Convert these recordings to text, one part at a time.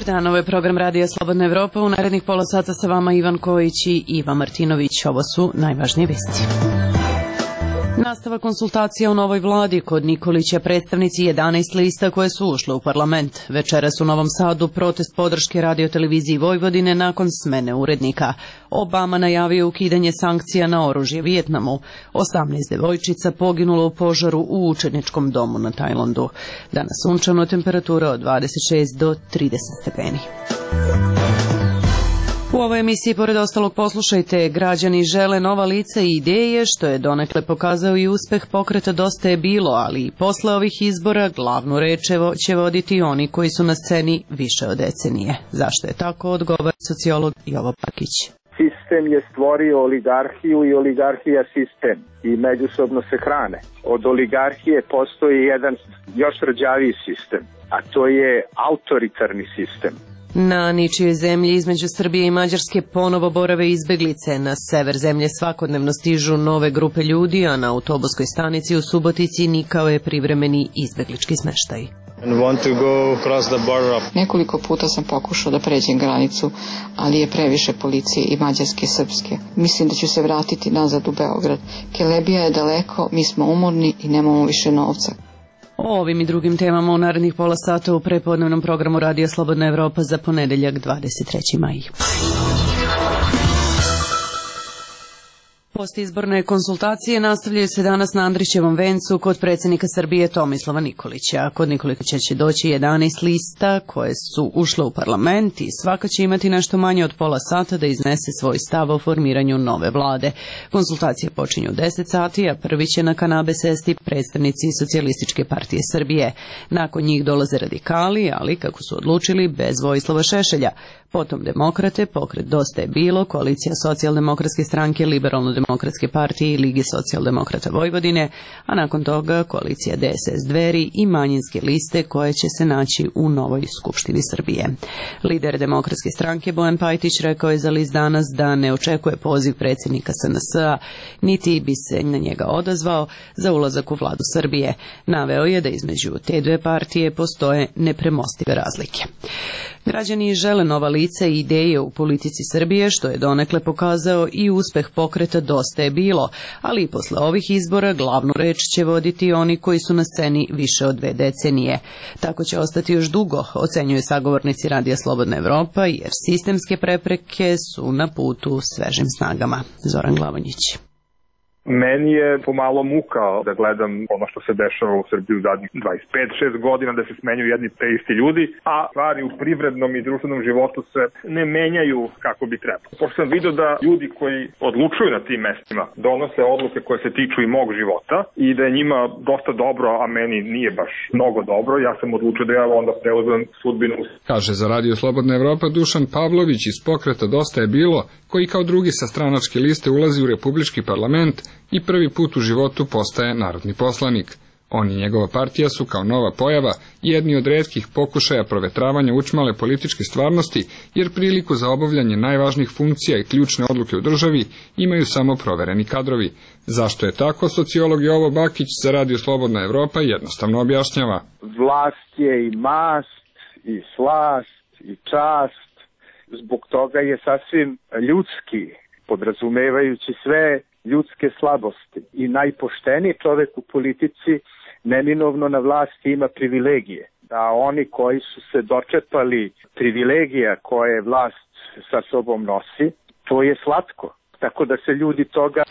dan, ovo je program Radija Slobodna Evropa. U narednih pola sata sa vama Ivan Kojić i Iva Martinović. Ovo su najvažnije vesti. Nastava konsultacija o novoj vladi. Kod Nikolića predstavnici 11 lista koje su ušle u parlament. Večeras u Novom Sadu protest podrške radioteleviziji Vojvodine nakon smene urednika. Obama najavio ukidanje sankcija na oružje Vijetnamu. 18 devojčica poginulo u požaru u učeničkom domu na Tajlandu. Danas sunčano, temperatura od 26 do 30 stepeni. U ovoj emisiji, pored ostalog, poslušajte, građani žele nova lica i ideje, što je donekle pokazao i uspeh pokreta Dosta je bilo, ali i posle ovih izbora glavnu reč će voditi oni koji su na sceni više od decenije. Zašto je tako, odgovara sociolog Jovo Bakić. Sistem je stvorio oligarhiju i oligarhija sistem i međusobno se hrane. Od oligarhije postoji jedan još rđaviji sistem, a to je autoritarni sistem. Na ničijoj zemlji između Srbije i Mađarske ponovo borave izbeglice. Na sever zemlje svakodnevno stižu nove grupe ljudi, a na autobuskoj stanici u Subotici nikao je privremeni izbeglički smeštaj. Nekoliko puta sam pokušao da pređem granicu, ali je previše policije i mađarske i srpske. Mislim da ću se vratiti nazad u Beograd. Kelebija je daleko, mi smo umorni i nemamo više novca. O ovim i drugim temama u narednih pola sata u prepodnevnom programu Radija Slobodna Evropa za ponedeljak 23. maj. Postizborne konsultacije nastavljaju se danas na Andrićevom vencu kod predsjednika Srbije Tomislava Nikolića. Kod Nikolića će doći 11 lista koje su ušle u parlament i svaka će imati nešto manje od pola sata da iznese svoj stav o formiranju nove vlade. Konsultacije počinju u 10 sati, a prvi će na kanabe sesti predstavnici Socijalističke partije Srbije. Nakon njih dolaze radikali, ali kako su odlučili, bez Vojislava Šešelja. Potom demokrate, pokret Dosta je bilo, koalicija Socijaldemokratske stranke, Liberalno-demokratske partije i Lige socijaldemokrata Vojvodine, a nakon toga koalicija DSS Dveri i manjinske liste koje će se naći u novoj Skupštini Srbije. Lider demokratske stranke Bojan Pajtić rekao je za list Danas da ne očekuje poziv predsjednika SNS-a, niti bi se na njega odazvao za ulazak u vladu Srbije. Naveo je da između te dve partije postoje nepremostive razlike. Građani žele nova lica i ideje u politici Srbije, što je donekle pokazao i uspeh pokreta Dosta je bilo, ali i posle ovih izbora glavnu reč će voditi oni koji su na sceni više od 2 decenije. Tako će ostati još dugo, ocenjuju sagovornici Radija Slobodna Evropa, jer sistemske prepreke su na putu svežim snagama. Zoran Glavonjić. Meni je pomalo muka da gledam ono što se dešava u Srbiji u zadnjih 25-6 godina, da se smenjuju jedni te isti ljudi, a stvari u privrednom i društvenom životu se ne menjaju kako bi trebalo. Pošto sam vidio da ljudi koji odlučuju na tim mestima donose odluke koje se tiču i mog života i da je njima dosta dobro, a meni nije baš mnogo dobro, ja sam odlučio da ja onda preuzmem sudbinu. Kaže za Radio Slobodna Evropa Dušan Pavlović iz pokreta Dosta je bilo, koji kao drugi sa stranačke liste ulazi u Republički parlament i prvi put u životu postaje narodni poslanik. On i njegova partija su kao nova pojava jedni od retkih pokušaja provetravanja učmale političke stvarnosti, jer priliku za obavljanje najvažnijih funkcija i ključne odluke u državi imaju samo provereni kadrovi. Zašto je tako, sociolog Jovo Bakić za Radio Slobodna Evropa jednostavno objašnjava. Vlast je i mast, i slast, i čast. Zbog toga je sasvim ljudski, podrazumevajući sve ljudske slabosti. I najpošteniji čovjek u politici neminovno na vlasti ima privilegije. Da oni koji su se dočepali privilegija koje vlast sa sobom nosi, to je slatko. Tako da se ljudi toga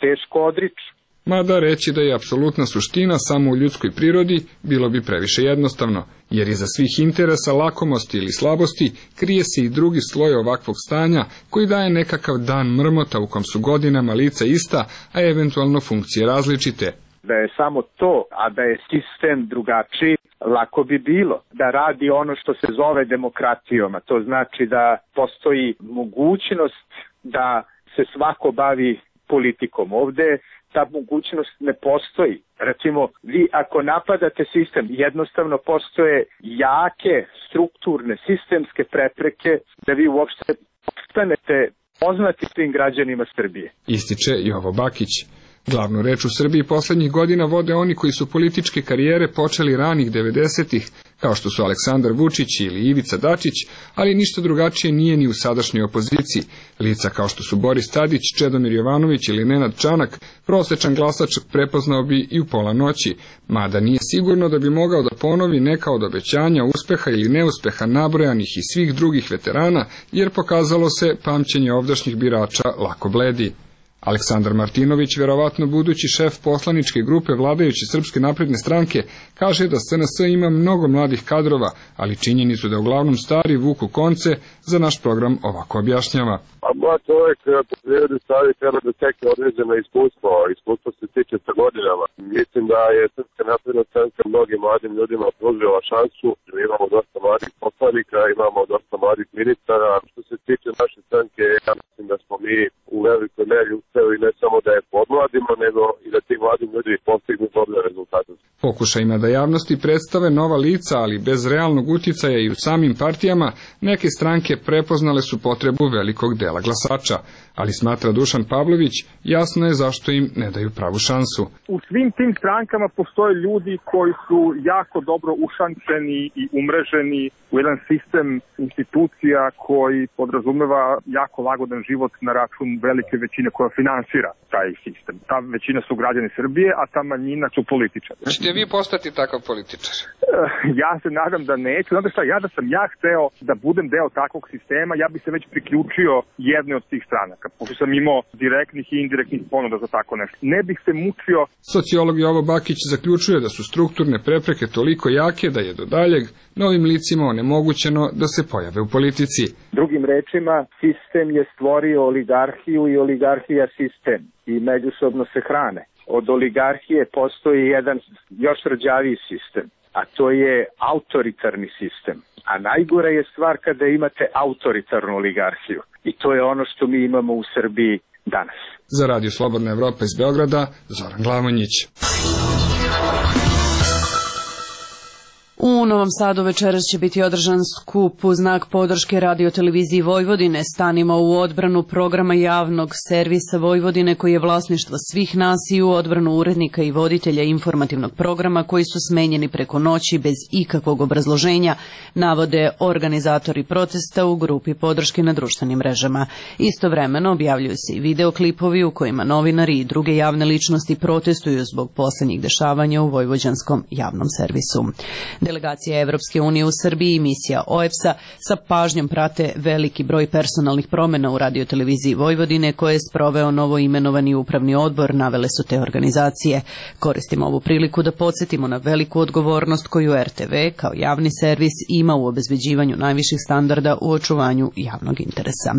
teško odriču. Mada reći da je apsolutna suština samo u ljudskoj prirodi bilo bi previše jednostavno, jer iza svih interesa, lakomosti ili slabosti krije se i drugi sloj ovakvog stanja koji daje nekakav dan mrmota u kom su godinama lica ista, a eventualno funkcije različite. Da je samo to, a da je sistem drugačiji, lako bi bilo da radi ono što se zove demokratijom, a to znači da postoji mogućnost da se svako bavi politikom. Ovde ta mogućnost ne postoji. Recimo, vi ako napadate sistem, jednostavno postoje jake, strukturne, sistemske prepreke da vi uopšte postanete poznati svim građanima Srbije. Ističe Jovo Bakić. Glavnu reč u Srbiji poslednjih godina vode oni koji su političke karijere počeli ranih 90-ih, kao što su Aleksandar Vučić ili Ivica Dačić, ali ništa drugačije nije ni u sadašnjoj opoziciji. Lica kao što su Boris Tadić, Čedomir Jovanović ili Nenad Čanak, prosečan glasač prepoznao bi i u pola noći, mada nije sigurno da bi mogao da ponovi neka od obećanja, uspeha ili neuspeha nabrojanih i svih drugih veterana, jer pokazalo se pamćenje ovdašnjih birača lako bledi. Aleksandar Martinović, verovatno budući šef poslaničke grupe vladajuće Srpske napredne stranke, kaže da SNS ima mnogo mladih kadrova, ali činjenicu da uglavnom stari vuku konce, za naš program ovako objašnjava. A mlad čovjek po prirodi stvari treba da tekne određeno iskustvo se tiče sa godinama. Mislim da je Srpska napredna stranka mnogim mladim ljudima pružila šansu. Imamo dosta mladih poslanika, imamo dosta mladih ministara. Što se tiče naše stranke, ja mislim da smo mi u velikoj meri uspeli ne samo da je podmladimo, nego i da ti mladim ljudi postignu dobre rezultate. Pokušajima da javnosti predstave nova lica, ali bez realnog uticaja i u samim partijama, neke stranke prepoznale su potrebu velikog dela glasača, ali smatra Dušan Pavlović, jasno je zašto im ne daju pravu šansu. U svim tim strankama postoje ljudi koji su jako dobro ušančeni i umreženi u jedan sistem institucija koji podrazumeva jako lagodan život na račun velike većine koja finansira taj sistem. Ta većina su građani Srbije, a ta manjina su političari. Ćete vi postati takav političar? Ja se nadam da neću. Znate šta, da sam ja hteo da budem deo takvog sistema, ja bi se već priključio jedne od tih stranaka, pošto sam imao direktnih i indirektnih ponuda za tako nešto. Ne bih se mučio. Sociolog Jovo Bakić zaključuje da su strukturne prepreke toliko jake da je do daljeg novim licima onemogućeno da se pojave u politici. Drugim rečima, sistem je stvorio oligarhiju i oligarhija sistem i međusobno se hrane. Od oligarhije postoji jedan još rđaviji sistem, a to je autoritarni sistem. A najgora je stvar kada imate autoritarnu oligarhiju. I to je ono što mi imamo u Srbiji danas. Za Radio Slobodna Evropa iz Beograda, Zoran Glamonjić. U Novom Sadu večeras će biti održan skup u znak podrške radioteleviziji Vojvodine. Stanimo u odbranu programa javnog servisa Vojvodine koji je vlasništvo svih nas i u odbranu urednika i voditelja informativnog programa koji su smenjeni preko noći bez ikakvog obrazloženja, navode organizatori protesta u grupi podrške na društvenim mrežama. Istovremeno objavljuju se i videoklipovi u kojima novinari i druge javne ličnosti protestuju zbog poslednjih dešavanja u vojvođanskom javnom servisu. Delegacija Evropske unije u Srbiji i misija OEBS-a sa pažnjom prate veliki broj personalnih promjena u radioteleviziji Vojvodine koje je sproveo novo imenovani upravni odbor, navele su te organizacije. Koristimo ovu priliku da podsjetimo na veliku odgovornost koju RTV kao javni servis ima u obezbeđivanju najviših standarda u očuvanju javnog interesa.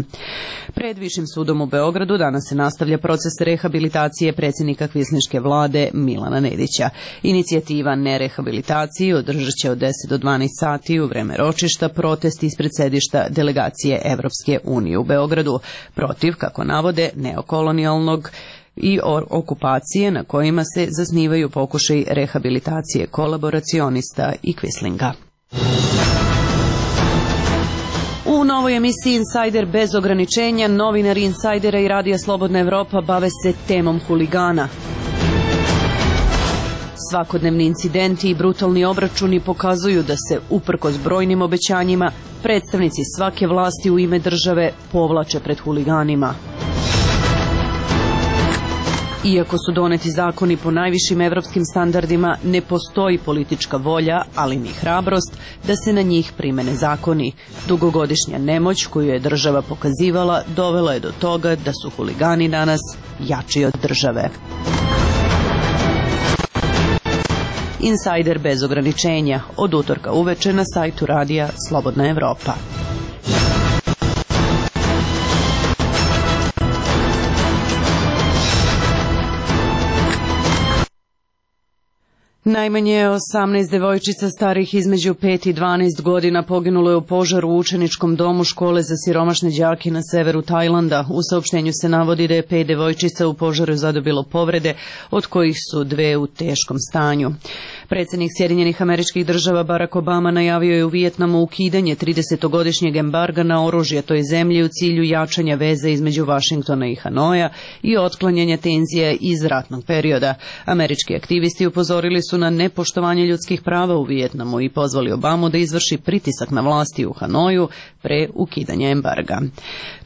Pred Višim sudom u Beogradu danas se nastavlja proces rehabilitacije predsjednika kvislinške vlade Milana Nedića. Inicijativa nerehabilitaciji održat će od 10 do 12 sati u vreme ročišta protest ispred sedišta delegacije Evropske unije u Beogradu protiv, kako navode, neokolonijalnog i okupacije na kojima se zasnivaju pokušaj rehabilitacije kolaboracionista i kvislinga. U novoj emisiji Insider bez ograničenja novinari Insajdera i Radija Slobodna Evropa bave se temom huligana. Svakodnevni incidenti i brutalni obračuni pokazuju da se, uprkos brojnim obećanjima, predstavnici svake vlasti u ime države povlače pred huliganima. Iako su doneti zakoni po najvišim evropskim standardima, ne postoji politička volja, ali ni hrabrost, da se na njih primene zakoni. Dugogodišnja nemoć koju je država pokazivala dovela je do toga da su huligani danas jači od države. Insider bez ograničenja, od utorka uveče na sajtu Radija Slobodna Evropa. Najmanje 18 devojčica starih između 5 i 12 godina poginulo je u požaru u učeničkom domu škole za siromašne đake na severu Tajlanda. U saopštenju se navodi da je 5 devojčica u požaru zadobilo povrede, od kojih su 2 u teškom stanju. Predsjednik Sjedinjenih Američkih Država Barack Obama najavio je u Vijetnamu ukidanje 30-godišnjeg embarga na oružje toj zemlji u cilju jačanja veze između Vašingtona i Hanoja i otklanjanja tenzija iz ratnog perioda. Američki aktivisti upozorili su na nepoštovanje ljudskih prava u Vijetnamu i pozvali Obamu da izvrši pritisak na vlasti u Hanoju pre ukidanja embarga.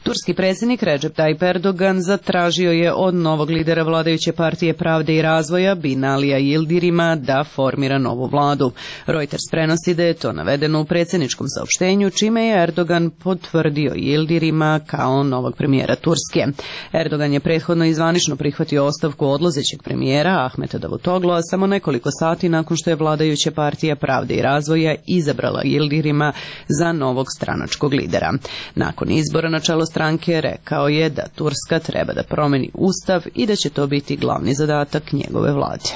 Turski predsjednik Recep Tayyip Erdogan zatražio je od novog lidera vladajuće partije Pravde i razvoja Binalija Yildirima da formira novu vladu. Reuters prenosi da je to navedeno u predsjedničkom saopštenju, čime je Erdogan potvrdio Yildirima kao novog premijera Turske. Erdogan je prethodno i zvanično prihvatio ostavku odlazećeg premijera Ahmeta Davutoglu, a samo nekoliko sati nakon što je vladajuća partija Pravde i razvoja izabrala Yildirima za novog stranačkog lidera. Nakon izbora na čelo stranke rekao je da Turska treba da promeni ustav i da će to biti glavni zadatak njegove vlade.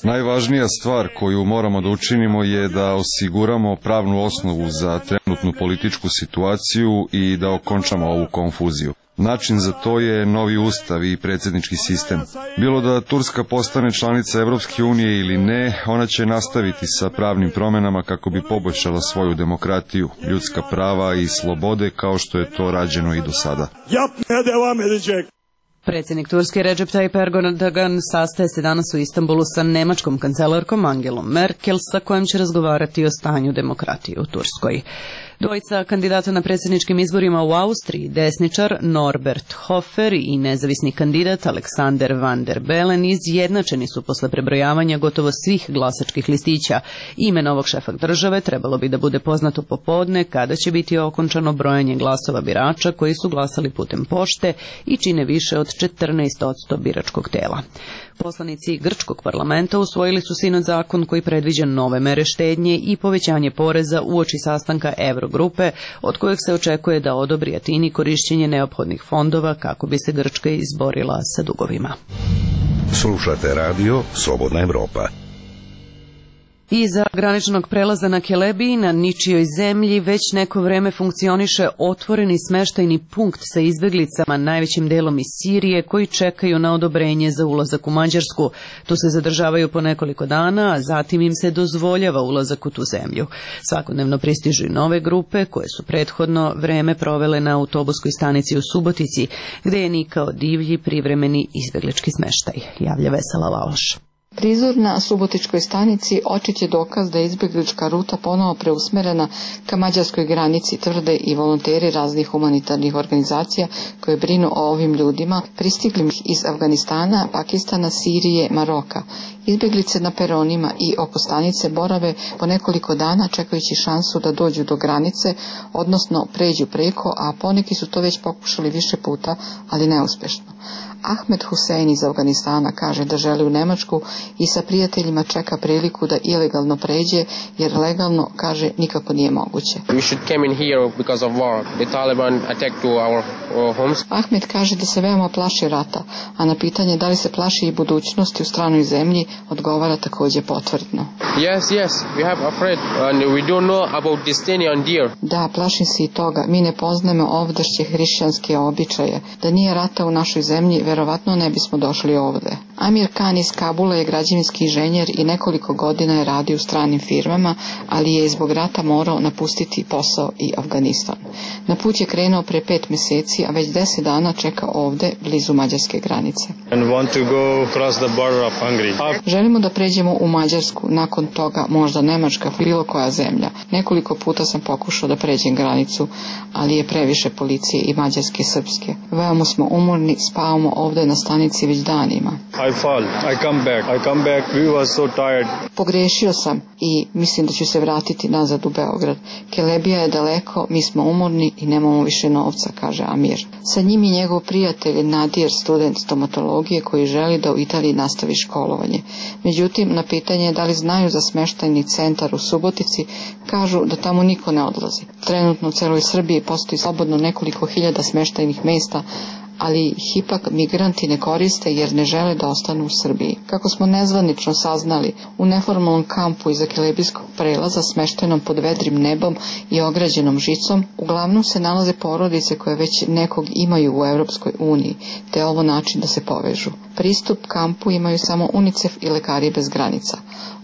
Najvažnija stvar koju moramo da učinimo je da osiguramo pravnu osnovu za trenutnu političku situaciju i da okončamo ovu konfuziju. Način za to je novi ustav i predsjednički sistem. Bilo da Turska postane članica Evropske unije ili ne, ona će nastaviti sa pravnim promjenama kako bi poboljšala svoju demokratiju, ljudska prava i slobode kao što je to rađeno i do sada. Predsjednik Turske Recep Tayyip Erdogan sastaje se danas u Istanbulu sa nemačkom kancelarkom Angelom Merkel, sa kojom će razgovarati o stanju demokratije u Turskoj. Dvojica kandidata na predsjedničkim izborima u Austriji, desničar Norbert Hofer i nezavisni kandidat Alexander van der Bellen, izjednačeni su posle prebrojavanja gotovo svih glasačkih listića. Ime novog šefa države trebalo bi da bude poznato popodne, kada će biti okončano brojanje glasova birača koji su glasali putem pošte i čine više od 14% biračkog tela. Poslanici grčkog parlamenta usvojili su sinoć zakon koji predviđa nove mere štednje i povećanje poreza uoči sastanka Eurogrupe, od kojeg se očekuje da odobri Atini korišćenje neophodnih fondova kako bi se Grčka izborila sa dugovima. Slušate radio Slobodna Evropa. Iza graničnog prelaza na Kelebiji na ničijoj zemlji već neko vreme funkcioniše otvoreni smeštajni punkt sa izbjeglicama, najvećim delom iz Sirije, koji čekaju na odobrenje za ulazak u Mađarsku. Tu se zadržavaju po nekoliko dana, a zatim im se dozvoljava ulazak u tu zemlju. Svakodnevno pristižu i nove grupe koje su prethodno vreme provele na autobuskoj stanici u Subotici, gde je nikao divlji privremeni izbjeglički smeštaj. Javlja Vesela Laloš. Prizor na Subotičkoj stanici očit je dokaz da je izbjeglička ruta ponovo preusmerena ka mađarskoj granici, tvrde i volonteri raznih humanitarnih organizacija koje brinu o ovim ljudima, pristiglim iz Afganistana, Pakistana, Sirije, Maroka. Izbjeglice na peronima i oko stanice borave po nekoliko dana čekajući šansu da dođu do granice, odnosno pređu preko, a poneki su to već pokušali više puta, ali neuspešno. Ahmed Husein iz Afganistana kaže da želi u Nemačku i sa prijateljima čeka priliku da ilegalno pređe, jer legalno, kaže, nikako nije moguće. Ahmed kaže da se veoma plaši rata, a na pitanje da li se plaši i budućnosti u stranoj zemlji odgovara također potvrdno. Da, plašim se i toga. Mi ne poznajemo ovdašnje hrišćanske običaje. Da nije rata u našoj zemlji, verovatno ne bismo došli ovde. Amir Khan iz Kabula je građevinski inženjer i nekoliko godina je radio u stranim firmama, ali je zbog rata morao napustiti posao i Afganistan. Na put je krenuo pre 5 mjeseci, a već 10 dana čeka ovde, blizu mađarske granice. Želimo da pređemo u Mađarsku, nakon toga možda Nemačka, bilo koja zemlja. Nekoliko puta sam pokušao da pređem granicu, ali je previše policije i mađarske i srpske. Veoma smo umorni, spavamo ovde na stanici već danima. Pogrešio sam i mislim da ću se vratiti nazad u Beograd. Kelebija je daleko, mi smo umorni i nemamo više novca, kaže Amir. Sa njim je njegov prijatelj Nadir, student stomatologije koji želi da u Italiji nastavi školovanje. Međutim, na pitanje da li znaju za smeštajni centar u Subotici, kažu da tamo niko ne odlazi. Trenutno u celoj Srbiji postoji slobodno nekoliko hiljada smeštajnih mesta, ali ih ipak migranti ne koriste jer ne žele da ostanu u Srbiji. Kako smo nezvanično saznali, u neformalnom kampu iza Kelebijskog prelaza smeštenom pod vedrim nebom i ograđenom žicom, uglavnom se nalaze porodice koje već nekog imaju u Evropskoj uniji, te je ovo način da se povežu. Pristup kampu imaju samo UNICEF i Lekari bez granica.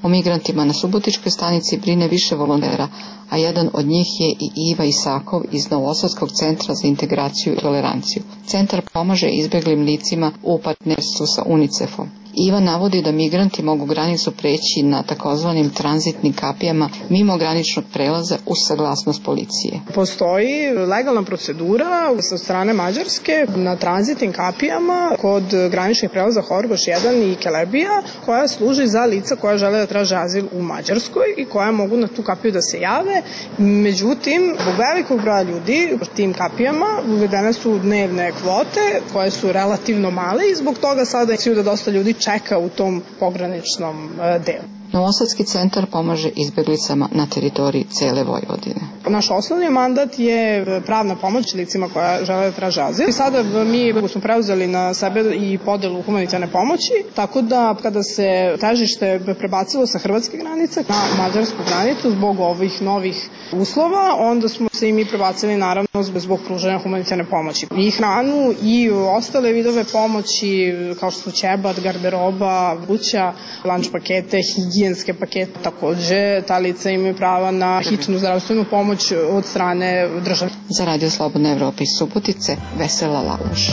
O migrantima na Subotičkoj stanici brine više volontera, a jedan od njih je i Iva Isakov iz Novosadskog centra za integraciju i toleranciju. Centar pomaže izbeglim licima u partnerstvu sa UNICEF-om. Iva navodi da migranti mogu granicu preći na takozvanim tranzitnim kapijama mimo graničnog prelaza uz saglasnost policije. Postoji legalna procedura sa strane Mađarske na tranzitnim kapijama kod graničnih prelaza Horgoš 1 i Kelebija, koja služi za lica koja žele da traže azil u Mađarskoj i koja mogu na tu kapiju da se jave. Međutim, zbog velikog broja ljudi u tim kapijama uvedene su dnevne kvote koje su relativno male i zbog toga sada je da dosta ljudi čeka u tom pograničnom delu. Novosadski centar pomaže izbeglicama na teritoriji cele Vojvodine. Naš osnovni mandat je pravna pomoć licima koja žele da traže azil. I sada mi smo preuzeli na sebe i podelu humanitarne pomoći, tako da kada se težište prebacilo sa hrvatske granice na mađarsku granicu zbog ovih novih uslova, onda smo se i mi prebacili naravno zbog pružanja humanitarne pomoći. I hranu i ostale vidove pomoći kao što su ćebat, garderoba, kuća, lanč pakete, higijenske pakete. Takođe, ta lica imaju prava na hitnu zdravstvenu pomoć od strane države. Za Radio Slobodna Evropa iz Subotice, Vesela Lakoš.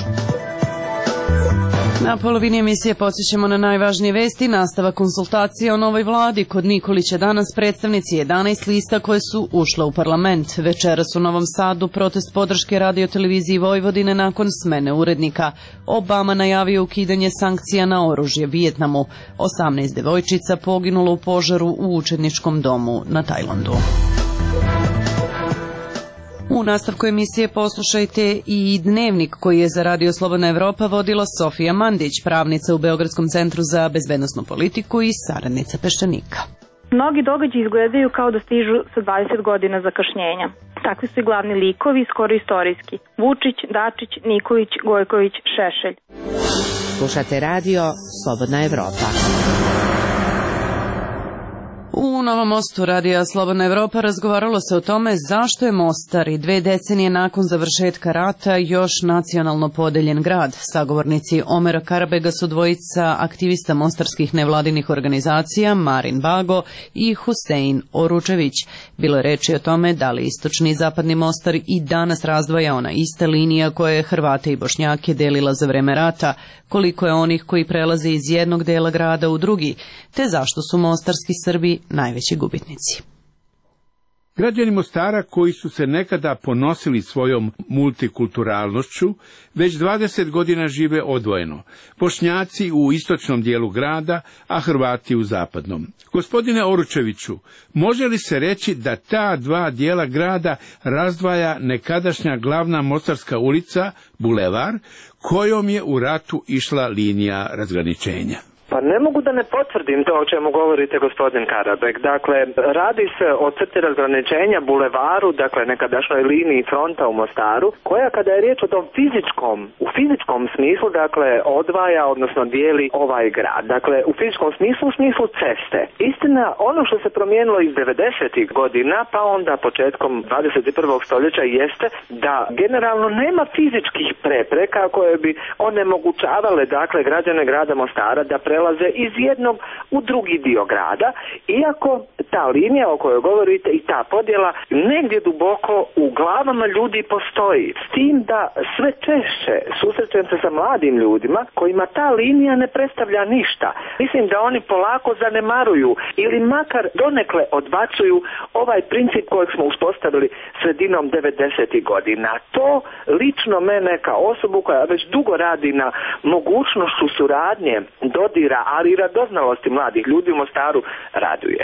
Na polovini emisije podsjećamo na najvažnije vesti. Nastava konsultacija o novoj vladi. Kod Nikolića danas predstavnici 11 lista koje su ušle u parlament. Večeras u Novom Sadu protest podrške radioteleviziji Vojvodine nakon smene urednika. Obama najavio ukidanje sankcija na oružje Vijetnamu. 18 devojčica poginulo u požaru u učeničkom domu na Tajlandu. U nastavku emisije poslušajte i dnevnik koji je za Radio Slobodna Evropa vodila Sofija Mandić, pravnica u Beogradskom centru za bezbednosnu politiku i saradnica peščanika. Mnogi događaji izgledaju kao da stižu sa 20 godina zakašnjenja. Takvi su i glavni likovi, skoro istorijski. Vučić, Dačić, Nikolić, Gojković, Šešelj. Slušate Radio Slobodna Evropa. U Novom Mostu Radija Slobodna Evropa razgovaralo se o tome zašto je Mostar i 2 decenije nakon završetka rata još nacionalno podeljen grad. Sagovornici Omera Karabega su dvojica aktivista mostarskih nevladinih organizacija Marin Bago i Husein Oručević. Bilo je reči o tome da li istočni i zapadni Mostar i danas razdvaja ona ista linija koja je Hrvate i Bošnjake delila za vreme rata, koliko je onih koji prelaze iz jednog dela grada u drugi, te zašto su mostarski Srbi najveći gubitnici. Građani Mostara koji su se nekada ponosili svojom multikulturalnošću, već 20 godina žive odvojeno. Bošnjaci u istočnom dijelu grada, a Hrvati u zapadnom. Gospodine Oručeviću, može li se reći da ta dva dijela grada razdvaja nekadašnja glavna Mostarska ulica, bulevar, kojom je u ratu išla linija razgraničenja? Pa ne mogu da ne potvrdim to o čemu govorite, gospodin Karabek. Dakle, radi se o crti razgraničenja bulevaru, dakle nekadašnjoj liniji fronta u Mostaru, koja kada je riječ o tom u fizičkom smislu, dakle, odvaja, odnosno dijeli ovaj grad. Dakle, u fizičkom smislu, u smislu ceste. Istina, ono što se promijenilo iz 90. godina, pa onda početkom 21. stoljeća jeste da generalno nema fizičkih prepreka koje bi onemogućavale, dakle, građane grada Mostara da prelaze iz jednog u drugi dio grada, iako ta linija o kojoj govorite i ta podjela negdje duboko u glavama ljudi postoji. S tim da sve češće susrećem se sa mladim ljudima kojima ta linija ne predstavlja ništa. Mislim da oni polako zanemaruju ili makar donekle odbacuju ovaj princip kojeg smo uspostavili sredinom 90. godina. To lično mene kao osobu koja već dugo radi na mogućnošću suradnje, dodira, ali i radoznalosti mladih ljudi u Mostaru raduje.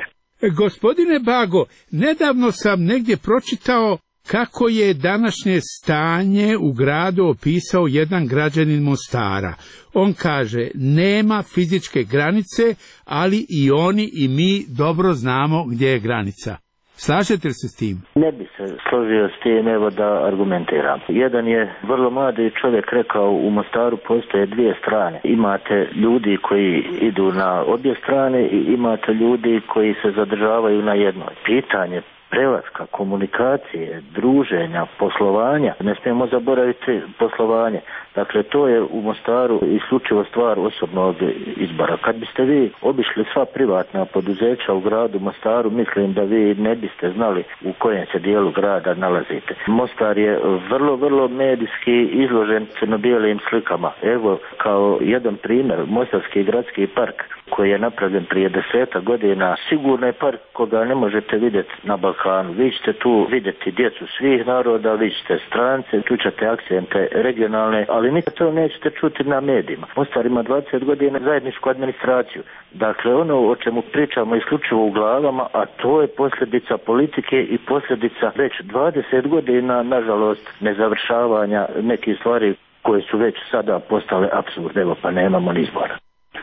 Gospodine Bago, nedavno sam negdje pročitao kako je današnje stanje u gradu opisao jedan građanin Mostara. On kaže, nema fizičke granice, ali i oni i mi dobro znamo gdje je granica. Slažete li se s tim? Ne bi se složio s tim, evo da argumentiram. Jedan je vrlo mladi čovjek rekao, u Mostaru postoje dvije strane. Imate ljudi koji idu na obje strane i imate ljudi koji se zadržavaju na jednoj. Pitanje prelaska, komunikacije, druženja, poslovanja, ne smijemo zaboraviti poslovanje. Dakle, to je u Mostaru isključivo stvar osobnog izbora. Kad biste vi obišli sva privatna poduzeća u gradu Mostaru, mislim da vi ne biste znali u kojem se dijelu grada nalazite. Mostar je vrlo medijski izložen crno-bijelim slikama. Evo, kao jedan primjer, Mostarski gradski park koji je napravljen prije 10 godina, sigurno je park koga ne možete vidjeti na Balkanu. Vi ćete tu vidjeti djecu svih naroda, vi ćete strance, tu ćete akcente regionalne, ali nikad to nećete čuti na medijima. Mostar ima 20 godina zajedničku administraciju. Dakle, ono o čemu pričamo isključivo u glavama, a to je posljedica politike i posljedica već 20 godina, nažalost, nezavršavanja nekih stvari koje su već sada postale apsurdne, evo pa nemamo ni izbora.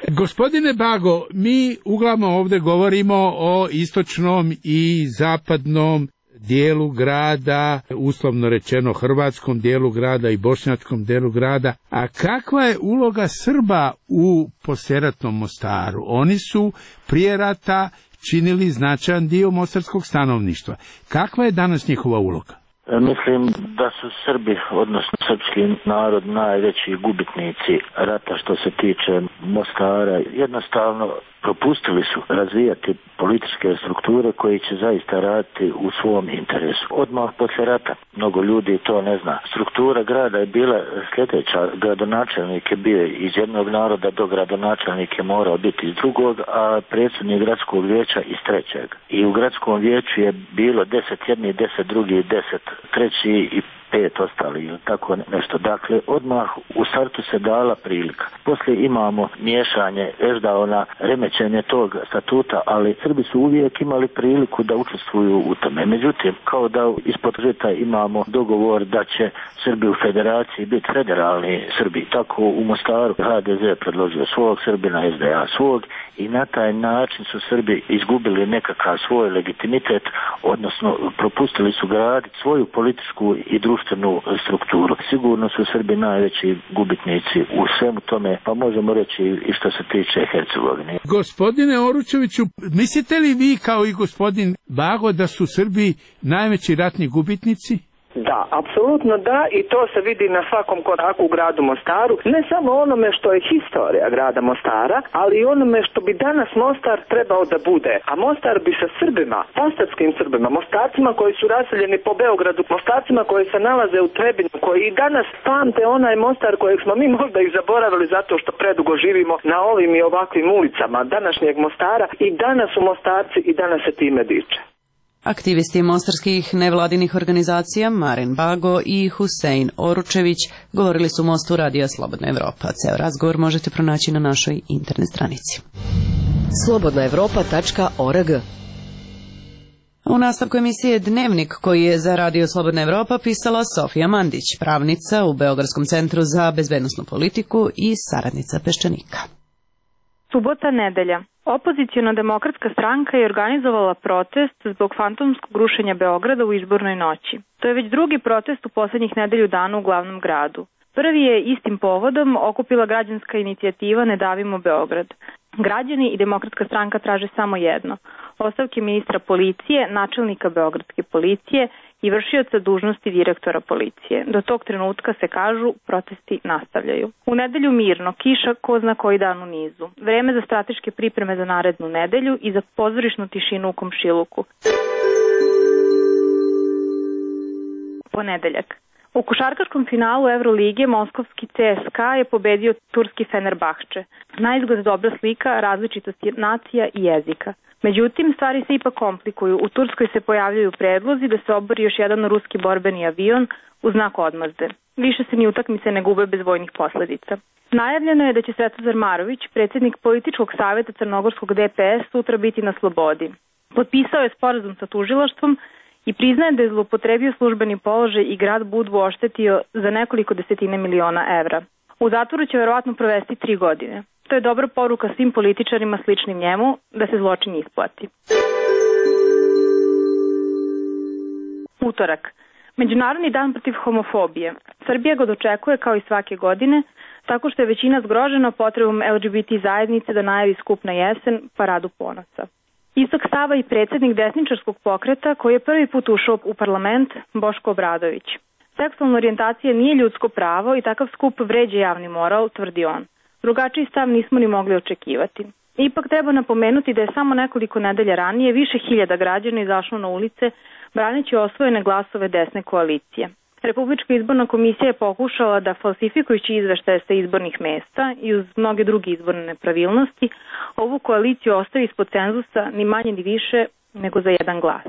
Gospodine Bago, mi uglavnom ovdje govorimo o istočnom i zapadnom dijelu grada, uslovno rečeno hrvatskom dijelu grada i bošnjačkom dijelu grada. A kakva je uloga Srba u poslijeratnom Mostaru? Oni su prije rata činili značajan dio mostarskog stanovništva. Kakva je danas njihova uloga? Mislim da su Srbi, odnosno srpski narod, najveći gubitnici rata što se tiče Mostara. Jednostavno propustili su razvijati političke strukture koji će zaista raditi u svom interesu. Odmah poslije rata, mnogo ljudi to ne zna. Struktura grada je bila sljedeća. Gradonačelnik je bio iz jednog naroda, dogradonačelnik je morao biti iz drugog, a predsjednik gradskog vijeća iz trećeg. I u gradskom vijeću je bilo 10 jedni, 10 drugi, 10 treći i 5 ostali ili tako nešto. Dakle, odmah u startu se dala prilika. Poslije imamo miješanje Eždaona, remećenje tog statuta, ali Srbi su uvijek imali priliku da učestvuju u tome. Međutim, kao da ispod žita imamo dogovor da će Srbi u federaciji biti federalni Srbi. Tako u Mostaru HDZ predložio svog, Srbina SDA svog i na taj način su Srbi izgubili nekakav svoj legitimitet, odnosno propustili su graditi svoju političku i društvenu strukturu. Sigurno su Srbi najveći gubitnici u svemu tome, pa možemo reći i što se tiče Hercegovine. Gospodine Oručeviću, mislite li vi kao i gospodin Bago da su Srbi najveći ratni gubitnici? Da, apsolutno da, i to se vidi na svakom koraku u gradu Mostaru, ne samo onome što je historija grada Mostara, ali i onome što bi danas Mostar trebao da bude. A Mostar bi sa Srbima, mostarskim Srbima, Mostarcima koji su raseljeni po Beogradu, Mostarcima koji se nalaze u Trebinju, koji i danas pamte onaj Mostar kojeg smo mi možda ih zaboravili zato što predugo živimo na ovim i ovakvim ulicama današnjeg Mostara, i danas su Mostarci i danas se time diče. Aktivisti mostarskih nevladinih organizacija Maren Bago i Husein Oručević govorili su u Mostu Radija Slobodna Evropa. Ceo razgovor možete pronaći na našoj internet stranici. slobodnaevropa.org. U nastavku emisije Dnevnik, koji je za Radio Slobodna Evropa pisala Sofija Mandić, pravnica u Beogradskom centru za bezbednosnu politiku i saradnica Peščanika. Subota, nedelja. Opoziciona demokratska stranka je organizovala protest zbog fantomskog rušenja Beograda u izbornoj noći. To je već drugi protest u poslednjih nedelju dana u glavnom gradu. Prvi je istim povodom okupila građanska inicijativa Ne davimo Beograd. Građani i demokratska stranka traže samo jedno: ostavke ministra policije, načelnika beogradske policije i vršioca dužnosti direktora policije. Do tog trenutka, se kažu, protesti nastavljaju. U nedelju mirno, kiša ko zna koji dan u nizu. Vreme za strateške pripreme za narednu nedelju i za pozorišnu tišinu u komšiluku. Ponedeljak. U košarkaškom finalu Evrolige moskovski CSKA je pobedio turski Fenerbahče. Naizgled dobra slika različitosti nacija i jezika. Međutim, stvari se ipak komplikuju. U Turskoj se pojavljaju predlozi da se obori još jedan ruski borbeni avion u znak odmazde. Više se ni utakmice ne gube bez vojnih posledica. Najavljeno je da će Svetozar Marović, predsjednik političkog savjeta crnogorskog DPS, sutra biti na slobodi. Potpisao je sporazum sa tužilaštvom i priznaje da je zloupotrebio službeni položaj i grad Budvu oštetio za nekoliko desetina miliona evra. U zatvoru će verovatno provesti 3 godine. To je dobra poruka svim političarima sličnim njemu da se zločin isplati. Utorak. Međunarodni dan protiv homofobije. Srbija ga dočekuje kao i svake godine, tako što je većina zgrožena potrebom LGBT zajednice da najavi skup na jesen, paradu ponosa. Istog stava i predsjednik desničarskog pokreta koji je prvi put ušao u parlament, Boško Obradović. Seksualna orijentacija nije ljudsko pravo i takav skup vređa javni moral, tvrdi on. Drugačiji stav nismo ni mogli očekivati. Ipak treba napomenuti da je samo nekoliko nedelja ranije više hiljada građana izašlo na ulice braneći osvojene glasove desne koalicije. Republička izborna komisija je pokušala da falsifikujući izveštaje sa izbornih mesta i uz mnoge druge izborne nepravilnosti ovu koaliciju ostavi ispod cenzusa ni manje ni više nego za jedan glas.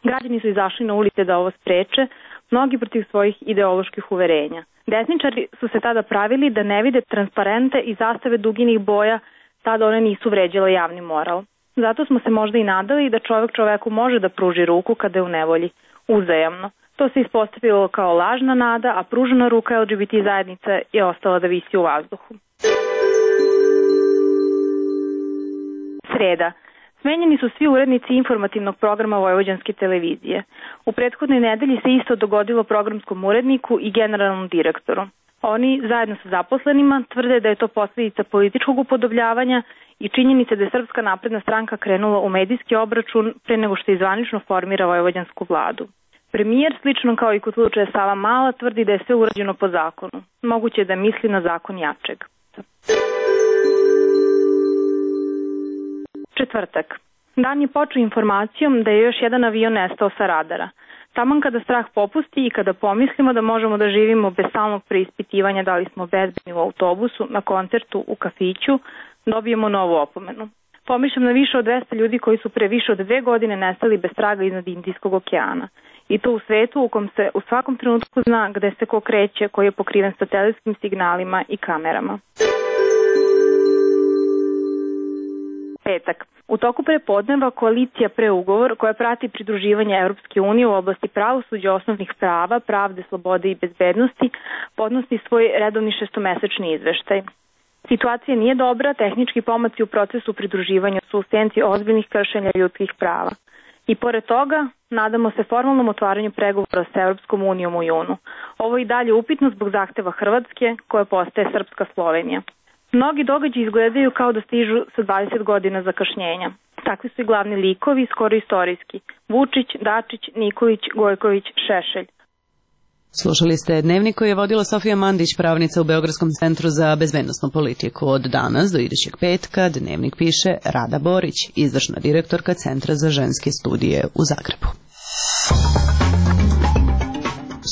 Građani su izašli na ulice da ovo spreče, mnogi protiv svojih ideoloških uverenja. Desničari su se tada pravili da ne vide transparente i zastave duginih boja, tada one nisu vređale javni moral. Zato smo se možda i nadali da čovek čoveku može da pruži ruku kada je u nevolji, uzajamno. To se ispostavilo kao lažna nada, a pružena ruka LGBT zajednice je ostala da visi u vazduhu. Sreda. Smenjeni su svi urednici informativnog programa Vojvođanske televizije. U prethodnoj nedelji se isto dogodilo programskom uredniku i generalnom direktoru. Oni, zajedno sa zaposlenima, tvrde da je to posljedica političkog upodobljavanja i činjenice da je Srpska napredna stranka krenula u medijski obračun pre nego što zvanično formira vojvođansku vladu. Premijer, slično kao i kod slučaja Sava Mala, tvrdi da je sve urađeno po zakonu. Moguće je da misli na zakon jačeg. Četvrtak. Dan je počeo informacijom da je još jedan avion nestao sa radara. Taman kada strah popusti i kada pomislimo da možemo da živimo bez stalnog preispitivanja da li smo bezbedni u autobusu, na koncertu, u kafiću, dobijemo novu opomenu. Pomišljam na više od 200 ljudi koji su pre više od 2 godine nestali bez traga iznad Indijskog okeana. I to u svetu u kom se u svakom trenutku zna gde se ko kreće, koji je pokriven satelitskim signalima i kamerama. Petak. U toku prepodneva koalicija Preugovor, koja prati pridruživanje Evropske unije u oblasti pravosuđa, osnovnih prava, pravde, slobode i bezbednosti, podnosi svoj redovni šestomesečni izveštaj. Situacija nije dobra, tehnički pomaci u procesu pridruživanja su u senci ozbiljnih kršenja ljudskih prava. I pored toga, nadamo se formalnom otvaranju pregovora sa Evropskom unijom u junu. Ovo je i dalje upitno zbog zahteva Hrvatske, koja postaje Srpska Slovenija. Mnogi događaji izgledaju kao da stižu sa 20 godina zakašnjenja. Takvi su i glavni likovi, skoro istorijski. Vučić, Dačić, Nikolić, Gojković, Šešelj. Slušali ste dnevnik koji je vodila Sofija Mandić, pravnica u Beogradskom centru za bezbednosnu politiku. Od danas do idućeg petka dnevnik piše Rada Borić, izvršna direktorka Centra za ženske studije u Zagrebu.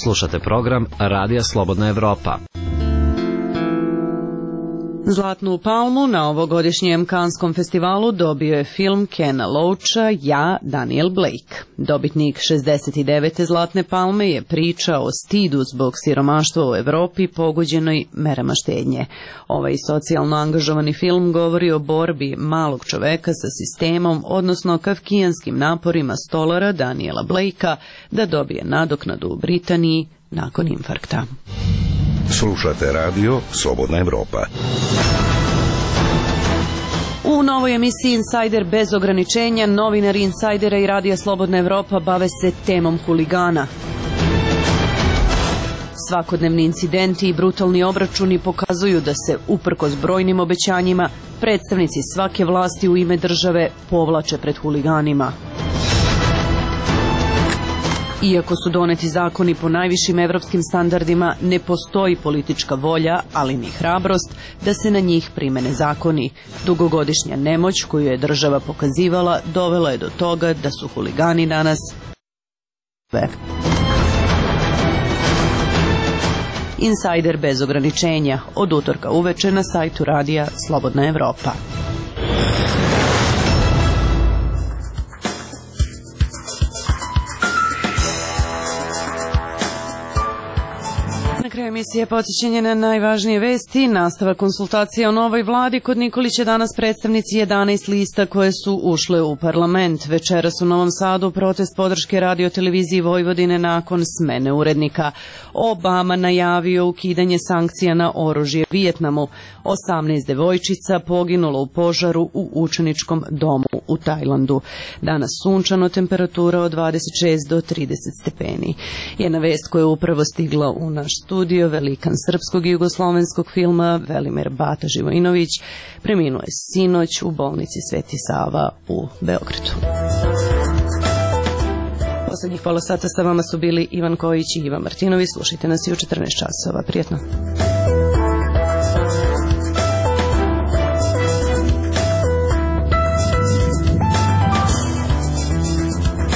Slušate program Radija Slobodna Evropa. Zlatnu palmu na ovogodišnjem Kanskom festivalu dobio je film Kena Loacha Ja, Daniel Blake. Dobitnik 69. Zlatne palme je priča o stidu zbog siromaštva u Evropi pogođenoj merama štednje. Ovaj socijalno angažovani film govori o borbi malog čoveka sa sistemom, odnosno kafkijanskim naporima stolara Daniela Blakea da dobije nadoknadu u Britaniji nakon infarkta. Slušate radio Slobodna Evropa. U novoj emisiji Insider bez ograničenja novinari Insidera i Radija Slobodna Evropa bave se temom huligana. Svakodnevni incidenti i brutalni obračuni pokazuju da se, uprkos brojnim obećanjima, predstavnici svake vlasti u ime države povlače pred huliganima. Iako su doneti zakoni po najvišim evropskim standardima, ne postoji politička volja, ali ni hrabrost, da se na njih primene zakoni. Dugogodišnja nemoć koju je država pokazivala dovela je do toga da su huligani danas Insider bez ograničenja, od utorka uveče na sajtu radija Slobodna Evropa. kraju emisije podsjećanje na najvažnije vesti. Nastava konsultacija o novoj vladi. Kod Nikolića danas predstavnici 11 lista koje su ušle u parlament. Večeras u Novom Sadu protest podrške Radio-televiziji Vojvodine nakon smene urednika. Obama najavio ukidanje sankcija na oružje Vijetnamu. 18 devojčica poginulo u požaru u učeničkom domu u Tajlandu. Danas sunčano, temperatura od 26 do 30 stepeni. Jedna vest koja je upravo stigla u naš studio, velikan srpskog i jugoslovenskog filma Velimir Bata Živojinović preminuo je sinoć u bolnici Sveti Sava u Beogradu. Poslednjih pola sata sa vama su bili Ivan Kojić i Ivan Martinović. Slušajte nas i u 14 časova. Prijetno.